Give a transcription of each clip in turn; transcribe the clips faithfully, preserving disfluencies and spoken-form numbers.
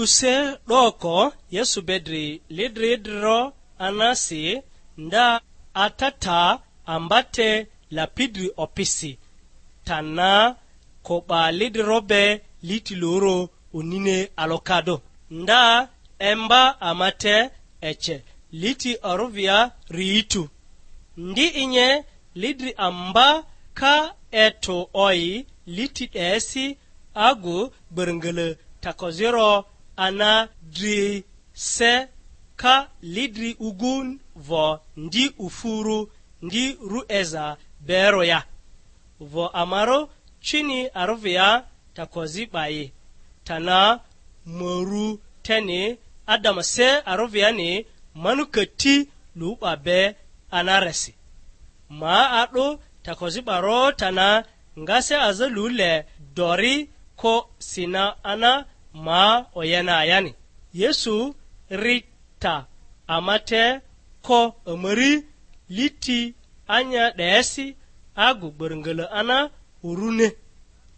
Use 'doko Yesu be dri lidri idriro anasi, nda atata ambate lapidri opisi, tana ko'ba lidriro be liti loro unine alokado. Nda emba amate ece liti oruvia riitu. Ndi inye lidri amba ka eto oi liti 'desi agu gbörngölö takoziro ana dri se ka lidri ugu vo ndi ufuru ndi ru'eza bero ya? Vo amaro cini aruvia takozi 'bayi, tana maru teni adama se aruviani manu kati lu 'ba be anaresi. Ma a'du takozi 'baro tana nga se aza lu le dori ko sina ana ma oyena ayani. Yesu ri ta ama te ko amari liti anya 'desi agu gbörngölö ana urune.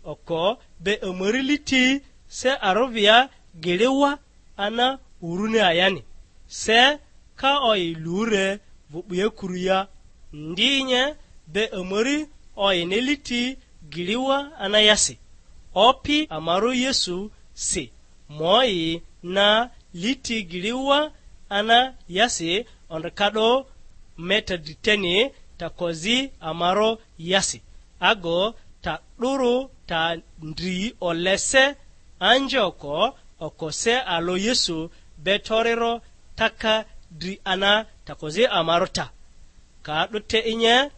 Oko be amari liti se arovia giliwa ana urune ayani. Se ka oyi lure vᴜ'buye kuruya, ndi nye be amari oyini liti giliwa ana yasi. Opi amaro Yesu si, moyi na liti giliwa ana yasi ondrikado meta driteni takozi amaro yasi, ago ta 'duru ta ndri olese anje oko, oko se alo Yesu be toriro taka dri ana takozi amaro ta. Ka 'du te inye,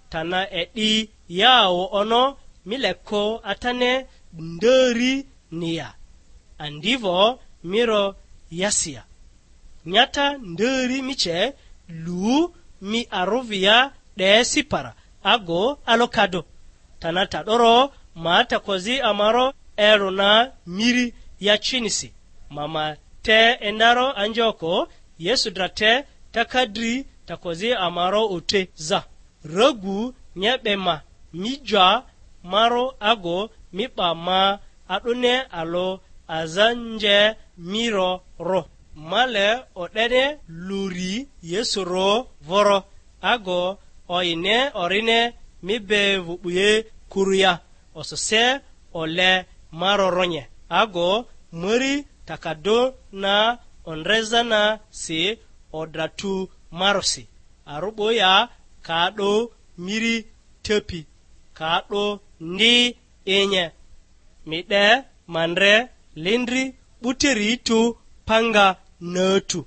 tana e'di yawo ono mi leko atane ndari ni ya? Andivo miro yasia. Nyata ndari mi ce lu mi arovia 'desi para ago alokado. Tana ta 'doro ma takozi amaro ero na miri yacinisi. Ma ma te endaro anjoko Yesu dra te taka dri takozi amaro ote za. Ragu nye 'be ma, mi ja maro ago mi 'ba ma a'dᴜne alᴜ aza nje mi ro ro. Ma le o'dene luri Yesu ro voro, ago oyine orine mi be vᴜ'buye kuruya, osose ole ma roronye, ago mari takadᴜ na ondreza na si odra tu marosi. Arᴜ 'bo ya ka 'dᴜ miri tepi, ka 'dᴜ ndi inye, mi 'de ma ndre lindri 'buteri tu panga natu.